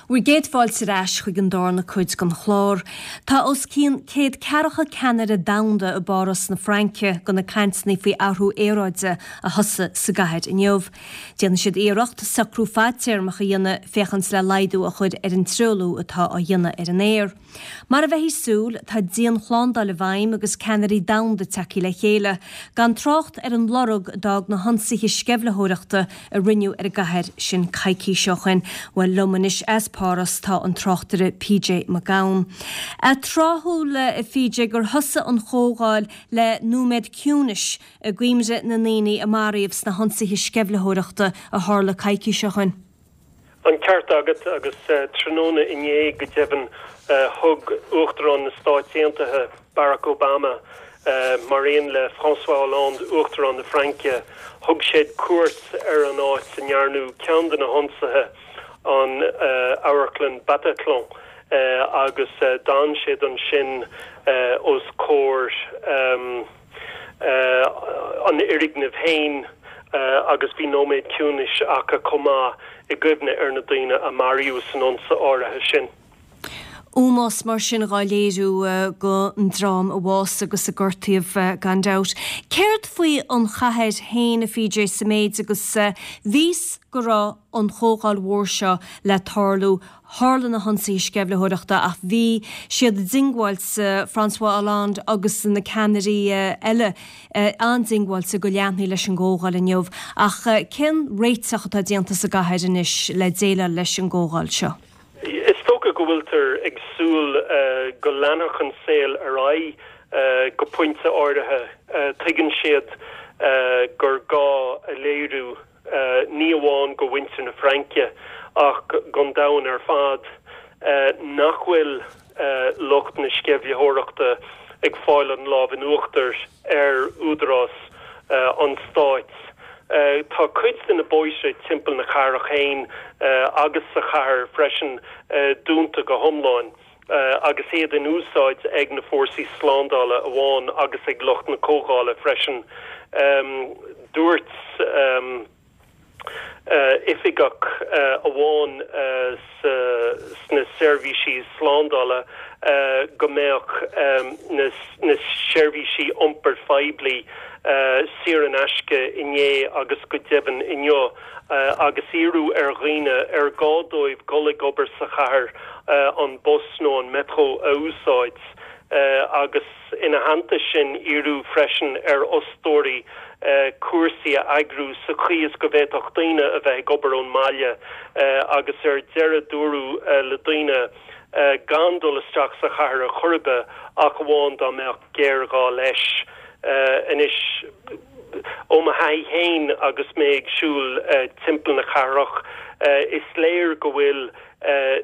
Bhur gcéad fáilte ar ais chuig an darna cuid den chlár. Tá os cionn 140 ceannaire domhanda i bPáras na Fraince do na cainteanna faoi athrú aeráide a thosaigh sa gcathair inniu. Déanfaidh siad iarracht socrú fadtéarmach a dhéanamh féachaint le laghdú a chur ar an truailliú atá á dhéanamh ar an aer. Mar a bheifí ag súil, tá dianshlándáil i bhfeidhm agus ceannairí domhanda tagtha le chéile, gan trácht ar an lorg a d'fhág na hionsaithe sceimhlitheoireachta a rinneadh ar an gcathair sin coicís ó shin. Bhuel, liom anois as Páras tá an tráchtaire PJ Mac Gabhann. Tráthúil, a PJ, gur thosaigh an chomhdháil le nóiméad ciúnais i gcuimhne na ndaoine a maraíodh sna hionsaithe sceimhlitheoireachta a tharla coicís ó shin. An ceart agat, agus tráthnóna inné, go deimhin, thug Uachtarán na Stáit Aontaithe, Barack Obama, mar aon le François Hollande, Uachtarán na Fraince, thug siad cuairt ar an áit a ndearnadh ceann de na hionsaithe, an amharclann Bataclan, agus d'fhan siad ansin os comhair. an fhoirgnimh féin agus bhí nóiméad ciúnais acu chomh maith i gcuimhne ar na daoine a maraíodh san ionsaí áirithe sin. Ómós mar sin dhá léiriú don dream a bhásaigh agus a gortaíodh gan dabht. Céard faoi an chathair féin, a PJ, sa méid agus bhíos go raibh an chomhdháil mhór seo le tarlú Tharla na hionsaithe sceimhlitheoireachta ach bhí siad diongbháilte, François Hollande agus na ceannairí eile, an-diongbháilte go leanfaí leis an gcomhdháil inniu. Ach cén réiteach atá déanta sa gcathair anois le déileáil leis an gcomhdháil seo? Is dócha go bhfuiltear ag súil go leanfadh an saol ar aghaidh go pointe áirithe. Tuigeann siad gur gá a léiriú ní amháin go mhuintir na Fraince ach don domhan ar fad, nach bhfuil lucht na sceimhlitheoireachta ag fáil an lámh in uachtar ar údarás an stáit. Tá cuid de na bóithre timpeall na cathrach féin agus sa chathair freisin dúnta go hiomlán. agus iad in úsáid ag na fórsaí slándála amháin agus ag lucht na comhdhála freisin. Dúirt oifigeach amháin sna seirbhísí slándála go mbeadh na seirbhísí iompair phoiblí saor in aisce inné agus go deimhin inniu. agus iarradh ar dhaoine ar gá dóibh dul ag obair sa chathair an bus nó an metro a úsáid agus ina theannta sin iarradh freisin ar fhostóirí cúrsaí a eagrú sa chaoi is go bhféadfadh daoine a bheith ag obair ón mbaile agus ar deireadh dúradh le daoine gan dul isteach sa chathair ar chor ar bith ach amháin dá mbeadh géarghá leis. Anois, ó mo thaithí féin agus mé ag siúl timpeall na cathrach, is léir go bhfuil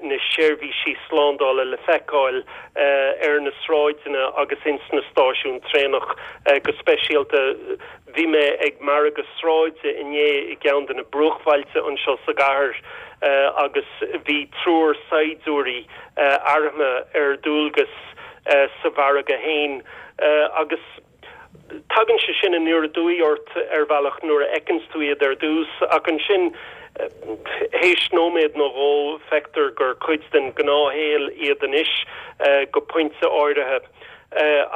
na seirbhísí slándála le feiceáil ar na sráideanna agus ins na stáisiúin traenach go speisialta. Bhí mé ag margadh sráide inné i gceann de na bruachbhailte anseo sa gcathair agus bhí triúr saighdiúirí armtha ar dualgas sa mhargadh féin agus tagann sé sin aniar aduaidh ort ar bhealach nuair a fheiceanns tú iad ar dtús ach ansin théis nóiméad nó dhó feictear gur cuid den ghnáthshaol iad anois go pointe áirithe.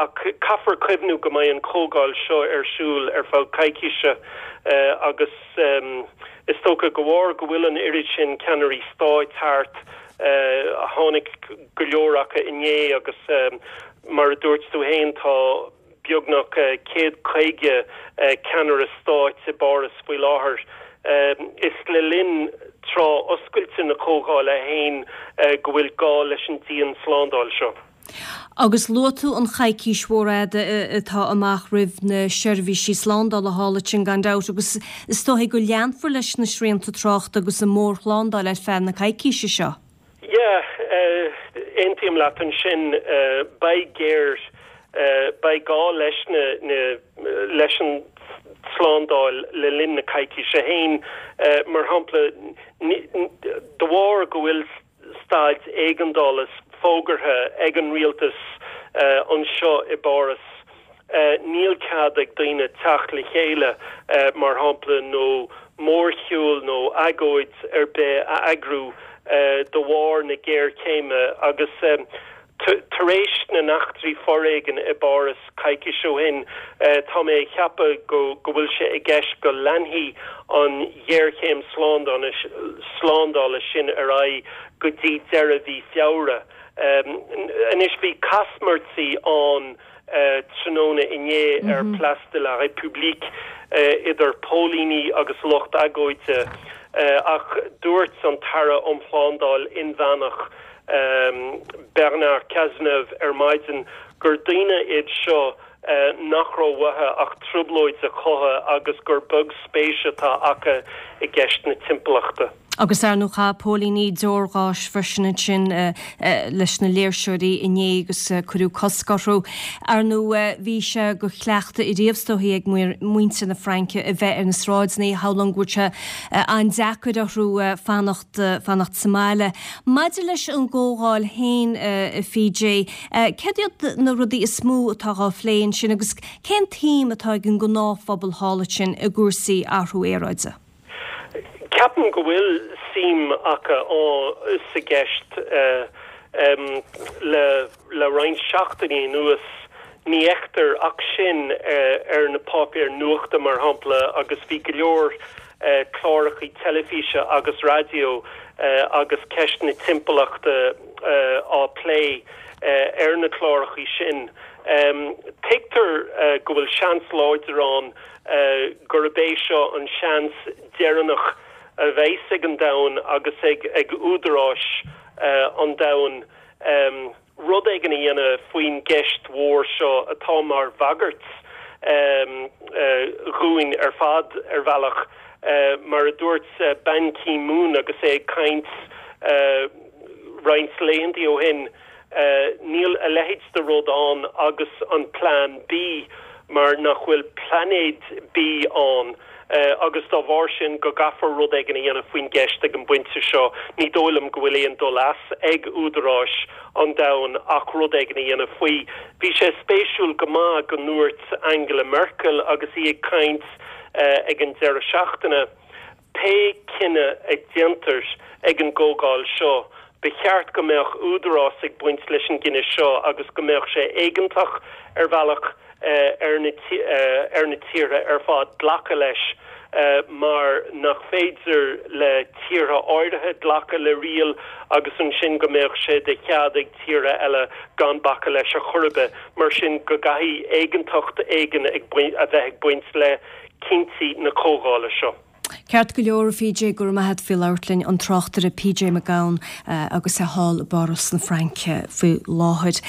Ach caithfear cuimhniú go mbeidh an chomhdháil seo ar siúl ar feadh coicíse agus is dócha de bharr go bhfuil an oiread sin ceannairí stáit thart, tháinig go leor acu inné agus mar a dúirt tú féin tá beagnach 150 ceannaire stáit i bPáras faoi láthair. Is le linn tráth oscailte na comhdhála féin go bhfuil gá leis an dian-slándáil seo. Agus luaigh tú an choicís mhór fhada atá amach roimh na seirbhísí slándála thall ansin gan dabht agus is dóigh go leanfar leis na srianta tráchta agus an mhórshlándáil ar feadh na coicíse seo. Yeah, aontaím leat ansin. Beidh géar, beidh gá leis na, na, leis an tslándáil le linn na coicíse féin. Mar shampla, de bharr go bhfuil staid éigeandála fógartha ag an rialtas anseo i bPáras, Níl cead ag daoine teacht le chéile, mar shampla, nó mórshiúl nó agóid ar bith a eagrú. de bharr na géarchéime agus tar éis na n-eachtraí foréigin i bPáras coicís ó shin, tá mé ag ceapadh go bhfuil sé i gceist go leanfaidh an ghéarchéim slándála sin ar aghaidh go dtí deireadh mhí Feabhra. Anois bhí caismirtí ann tráthnóna inné ar Place de la République idir póilíní agus lucht agóide ach dúirt an tAire um Shlándáil Inmheánach Bernard Cazeneuve ar maidin gur daoine iad seo nach raibh uathu ach trioblóid a chothú agus gur beag spéis atá acu i gceist na timpeallachta. Agus ar ndóigh chaith póilíní deoir gháis freisin ansin leis na léirseoirí inné agus cuireadh cosc orthu. Ar ndóigh bhí sé de chleachtadh ariamh is dóichí ag muintir na Fraince a bheith ar na sráideanna, shamhlóinn go bhfuil sé an-deacair orthu fanacht fanacht sa mbaile. Maidir leis an gcomhdháil féin, a PJ, céard iad na rudaí is mó atá á phlé ansin agus cén tsuim atá ag an ngnáthphobal thall ansin i gcúrsaí athrú aeráide? Ceapaim go bhfuil suim acu sa gceist. Le roinnt seachtainí anuas, ní fheictear ach sin ar na páipéir nuachta, mar shampla, agus bhí go leor cláracha teilifíse agus raidió agus ceist na timpeallachta á plé ar na cláracha sin. Tuigtear go bhfuil seans láidir ann gurb é seo an seans deireanach a bheas ag an domhan agus ag údaráis an domhain rud éigin a dhéanamh faoin gceist mhór seo atá mar bhagairt dhúinn ar fad ar bhealach. Mar a dúirt Ban Ki-moon agus é ag caint roinnt laethanta ó shin, Níl a leithéid de rud ann agus an Plean B mar nach bhfuil Plainéad B ann agus dá bharr sin go gcaithfear rud éigin a dhéanamh faoin gceist ag an bpointe seo. Ní dóigh liom go bhfuil aon dul as ag údaráis an domhain ach rud éigin a dhéanamh faoi. Bhí sé spéisiúil go maith go ndúirt Angela Merkel agus í ag caint ag an deireadh seachtaine, Pé cinneadh a déantar ag an gcomhdháil seo, ba cheart go mbeadh údarás ag baint leis an gcinneadh seo agus go mbeadh sé éigeantach ar bhealach ar na ar na tíortha ar fad glacadh leis mar nach féidir le tíortha áirithe glacadh le riail agus ansin go mbeadh sé de chead ag tíortha eile gan bacadh leis ar chor ar bith. Mar sin go gcaithfidh éigeantacht éigin a bheith ag baint le cinntí na comhdhála seo. Ceart go leor, a PJ, go raibh maith agat faoi labhairt linn, an tráchtaire PJ Mac Gabhann agus é thall i bPáras na Fraince faoi láthair.